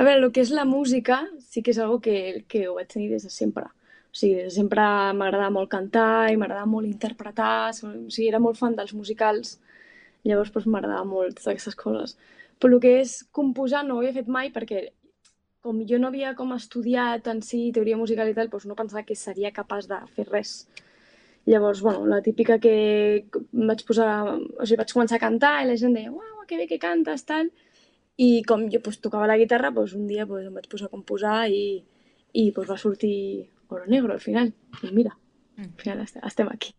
A veure, el que és la música sí que és algo que ho vaig tenir des de sempre. O sigui, des de sempre m'agradava molt cantar i m'agradava molt interpretar, o sigui, era molt fan dels musicals, llavors doncs, m'agradava molt totes aquestes coses. Però el que és composar no ho havia fet mai perquè com jo no havia com estudiat en si teoria musical i tal, doncs no pensava que seria capaç de fer res. Llavors, bueno, la típica que em vaig posar, o sigui, vaig començar a cantar i la gent deia, uau, que bé que cantes, tal. I com jo pues, tocava la guitarra, pues, un dia pues, em vaig posar a composar i pues, va sortir Oro Negro al final. I mira, al final estem aquí.